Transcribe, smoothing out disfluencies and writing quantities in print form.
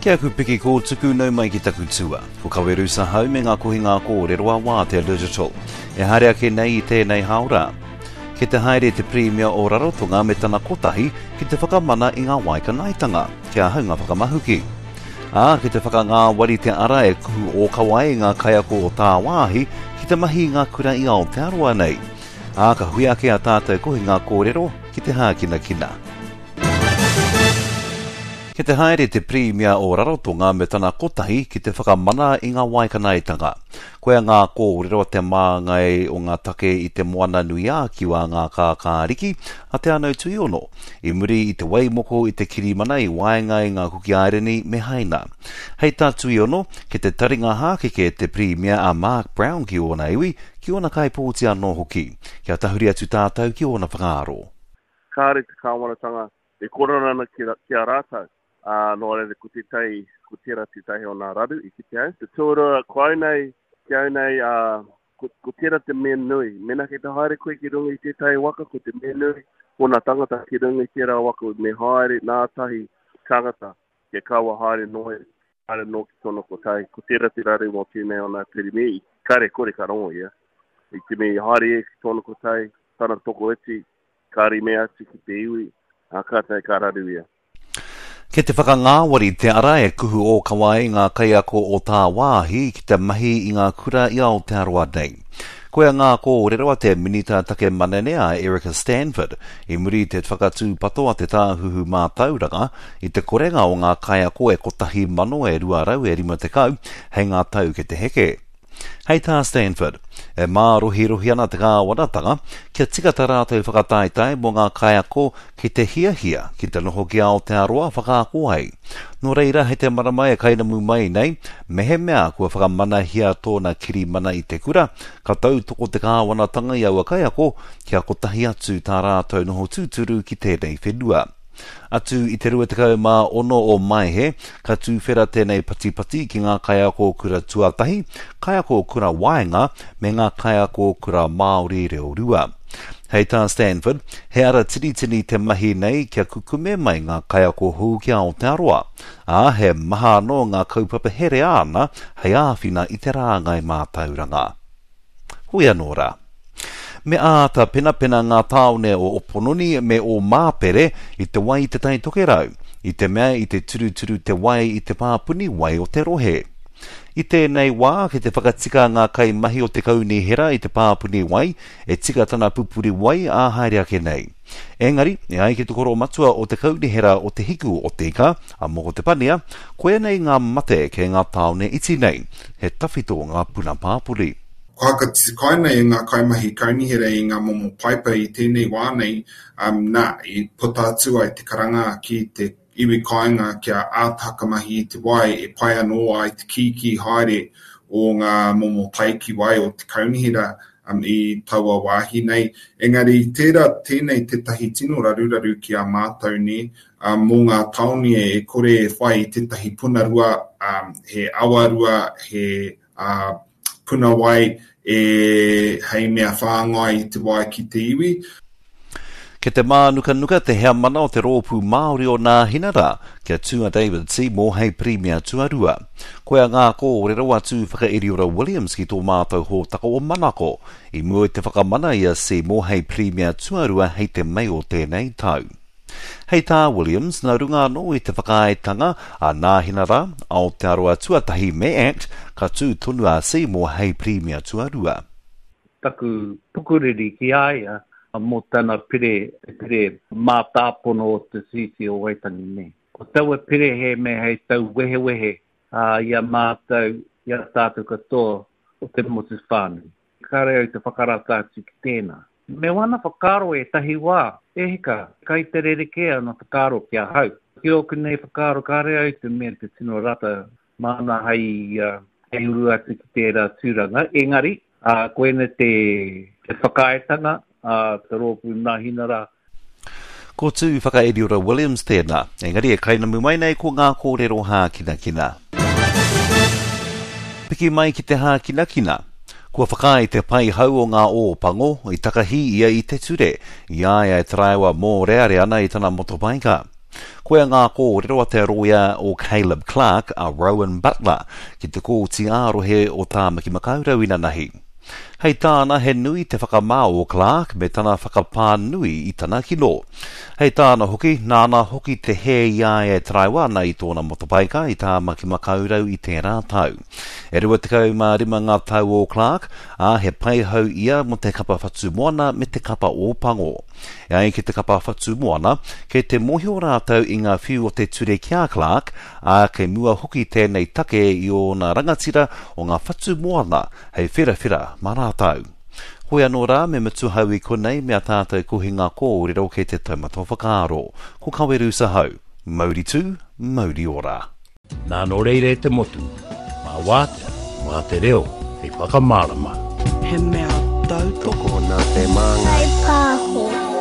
Ki aku piki kōtuku nau mai ki taku tua. Ko Kawerusa hau me ngā kohinga kōrero a Wātea Digital. E haere ake nei i tēnei hāora. Kei te haere te Pirimia o Rarotonga me tana kotahi ki te whakamana i ngā waikanaetanga, kia hau ngā whakamahuki. Ā, kei te whakangāwari te ara e kuhu ōkawa ai ngā kaiako o tāwāhi ki te mahi i ngā kura i Aotearoa nei. Ā, ka hui ake ā tātou kohinga kōrero ki te hākinakina. Kei te haere te Pirimia o Rarotonga me tana kotahi ki te whakamana i ngā waikanaetanga. Koia ngā kōrero a te māngai o ngā take i Te Moana-nui-ā-Kiwa ngā kākāriki a Te Anau Tuiono i muri i te waimoko i te kirimana i waenga i ngā Kuki Airani me Haina. Hei tā Tuiono, kei te taringa hākeke te Pirimia a Mark Brown ki ōna iwi, ki ōna kaipōti anō hoki. Kia tahuri atu tātou ki ōna whakaaro. Kāre te kāwanatanga e kōrero ana ki, ki a rātou. Ā, nō reira, ko tētahi, ko tērā tētahi o nā raru i kite au. Te tuarua, ko au nei, ki au nei, ā, ko, ko tērā te mea nui. Mēnā kei te haere koe ki runga i tētahi waka, ko te mea nui, ko nā tangata ki runga i tērā waka, me haere nā tahi tangata, kia kaua haere noa, haere noa ki tōna kotahi. Ko tērā te raru mō tēnei o nā Pirimi, kāre kore ka rongo ia. I te mea i haere ia ki tōna kotahi, tana tokoiti, Ka rime atu ki te iwi, ā, kātahi ka raru ia. Kei te whakangāwari te ara e kuhu ōkawa ai ngā kaiako o tāwāhi ki te mahi i ngā kura i Aotearoa nei. Koia ngā kōrero a te Minita Take Manene a Erica Stanford i muri i te whakatūpato a te Tāhuhu Mātauranga i te korenga o ngā kaiako e 1,000 e 200 e 50 hei ngā tau kei te heke. Hei tā Stanford, e mārohirohi ana te kāwanatanga kia tika tā rātou whakataetae mō ngā kaiako ki te hiahia ki te noho ki Aotearoa whakaako ai. Nō reira, hei te marama e kainamu mai nei, mehemea kua whakamanahia tōna kirimana i te kura, ka tautoko te kāwanatanga i aua kaiako kia kotahi atu tā rātou noho tūturu ki tēnei whenua. Atu i te 26 o Maehe, ka tūwhera tēnei patipati ki ngā kaiako kura tuatahi, kaiako kura waenga me ngā kaiako kura Māori reo rua. Hei tā Stanford, he ara tinitini te mahi nei kia kukume mai ngā kaiako hou ki Aotearoa, ā, he maha anō ngā kaupapa here āna hei āwhina i te rāngai mātauranga. Hoi anō rā. Me āta penapena ngā tāone o Opononi me Ōmāpere i te wai i Te Tai Tokerau, i te mea i te turuturu te wai i te pāpuni wai o te rohe. I tēnei wā, kei te whakatika ngā kaimahi o te kaunihera i te pāpuni wai, e tika tana pupuri wai ā haere ake nei. Engari, e ai ki te koromatua o te kaunihera o Te Hiku o Te Ika, a Moko Te Pania, koia nei ngā mate kei ngā tāone iti nei, he tawhito ngā puna pāpori. Kua whakatikaina e ngā kaimahi kaunihera i ngā momo paipa i tēnei wā nei, nā, i puta atu ai te karanga ki te iwi kāinga kia āta whakamahi i te wai e pai anō ai te kīkī haere o ngā momo taiki wai o te kaunihera i taua wāhi nei. Engari tērā tēnei tētahi tino raruraru ki a mātou nē, mō ngā tāone e kore e whai i tētahi puna rua, he awa rua, he ā, puna wai e hei mea whāngai i te wai ki te iwi. Kei te mānukanuka te heamana o te Rōpū Māori o Nāhinara, kia tū a David Seymour hei Pirimia tuarua. Koia ngā kōrero a Tūwhakairiora Williams ki tō mātou hōtaka o Manako, i mua i te whakamana i a Seymour hei Pirimia tuarua hei te Mei o tēnei tau. Hei tā Williams, nā runga anō i te whakaaetanga a Nāhinara, Aotearoa Tuatahi me act, ka tū tonu a Seymour hei Pirimia tuarua. Taku pukuriri ki a ia mō tana pire, te pire mātāpono o te Tiriti o Waitangi nei. Ko taua pire he mea hei tauwehewehe i a mātou, i a tātou katoa o te motu whānui. Kāre au te whakarata atu ki tēnā. Me wana whakaaro ētahi wā, e hika, kai te rerekē ana whakaaro ki ahau. Ki ōku nei whakaaro kāre au te mea te tino rata māna hei, hei uru atu ki tērā tūranga, engari, koina te, te whakaaetanga a te rōpū Nāhinara Ko Tū Whakairiora Williams tēnā, engari e kainamu mai nei ko ngā kōrero hākinakina. Piki mai ki te hākinakina. Kua whakaae te paihau o ngā ō pango, i takahi ia i te ture, i a ia e taraiwa mōrearea ana i tana motopaika. Koia ngā kōrero a te rōia o Caleb Clarke, a Rowan Butler, ki te Kōti ā-Rohe o Tāmaki Makaurau inanahi. Hei tāna he nui te whakamā o Clarke me tana whakapā nui i tana kino. Hei tāna hoki, nāna hoki te hē i a ia e taraiwa ana i tōna motopaika i Tāmaki Makaurau i tērā tau. E 25 ngā tau o Clarke, ā, he paihau ia mō te kapa Whatumoana me te kapa Ōpango. E ai ki te kapa Whatumoana, kei te mōhio rātou i ngā whiu o te ture ki a Clarke, ā, kei mua hoki tēnei take i ōna rangatira o ngā Whatumoana hei wherawhera mā rātou. Hoi anō rā, me mutu hau i konei me a tātou kohinga kōrero kei te taumata o whakaaro. Ko Kawerusa hau. Mauri tū, mauri ora. Nā nō reira e te motu, mā Wātea, mā te reo hei whakamārama. He mea tautoko. Tokona te māngai. Whai pāho.